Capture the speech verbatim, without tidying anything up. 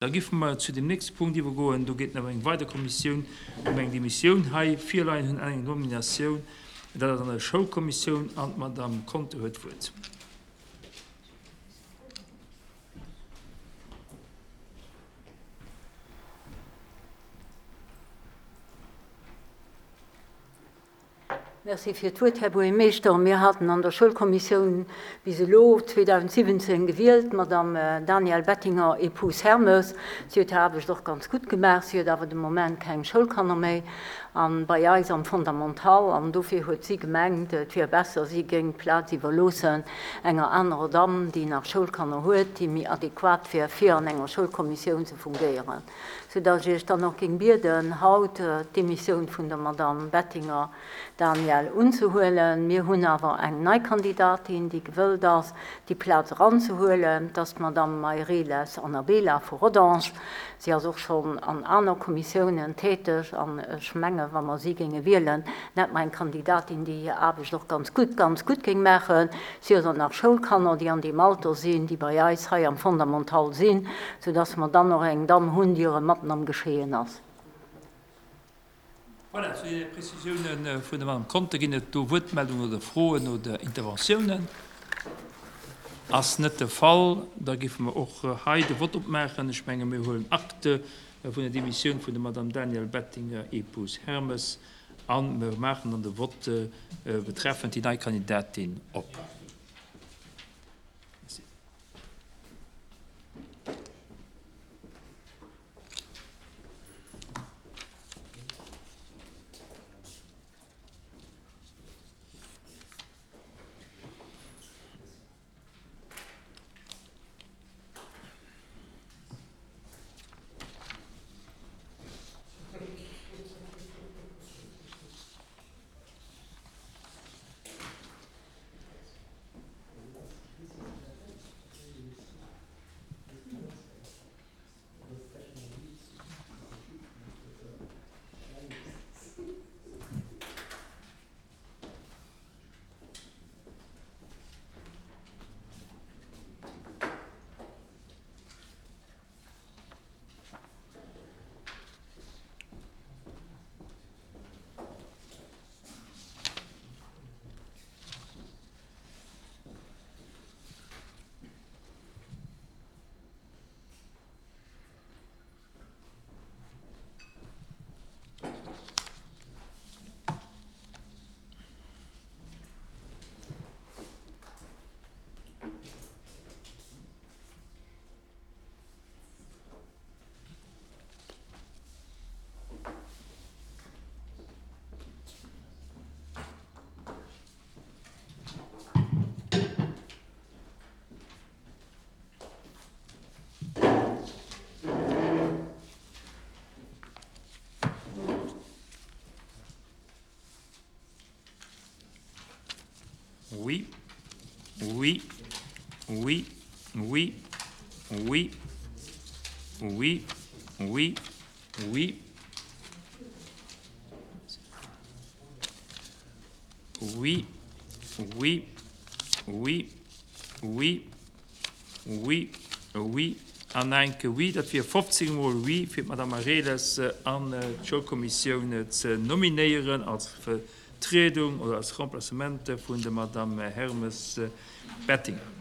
Da géife mer zu dem nächste Punkt iwwergoen. Do geet et ëm eng weider Kommissioun, ëm eng Demissioun. Hei virleien hunn eng Nominatioun, dat ass an der Schoulkommissioun, an d'Madame Conter huet d'Wuert. Merci fir d'Wuert, Här Buergermeeschter. Mir haten an der Schoulkommissioun bis elo zweedausendsiwwenzéng gewielt d'Madame Danièle Bettinger, épouse Hermes. Si huet hir Aarbecht och ganz gutt gemaach. Si huet awer de Moment keng Schoulkanner méi a bei eis am Fondamental an dofir huet si gemengt, et wier besser, si géing d'Plaz iwwerloossen enger anerer Damm, déi nach Schoulkanner huet, déi méi adequat wier, fir an enger Schoulkommissioun ze fungéieren. Soudass ech Iech dann och géing bieden, haut d'Demissioun vun der Madame Bettinger Danièle unzehuelen. Mir hunn awer eng nei Kandidatin, déi gewëllt ass, déi Plaz eranzehuelen. Dat ass d'Madame Meireles Annabela vu Rodange. Si ass och schonn an aner Kommissiounen täteg an ech mengen, wa mer si géinge wielen, hätte mer eng Kandidatin, déi hir Aarbecht och ganz gutt, ganz gutt géing maachen. Si huet och nach Schoulkanner, déi an deem Alter sinn, déi bei eis hei am Fondamental sinn, soudass mer dann och eng Damm hunn, déi erëm matten am Geschehen ass. Voilà, zu deene Prezisiounen vun der Madame Conter ginn et do Wuertmeldungen oder Froen oder Interventiounen? Ass net de Fall. Da géife mer och hei de Vott opmaachen. Ech menge mir huelen Acte vun der Demissioun vun der Madame Danièle Bettinger, épouse Hermes, a mer maachen dann de Vott betreffend déi nei Kandidatin op. Merci. Oui, oui, oui, oui, oui, oui, oui, oui. Oui, oui, oui, oui, oui, oui an enke Oui. Dat wier fofzéng mol Oui, fir d'Madame Mareles an d'Schoulkommissioun ze nominéieren als Vertriedung oder als Remplacement vun der Madame Hermes Bettinger.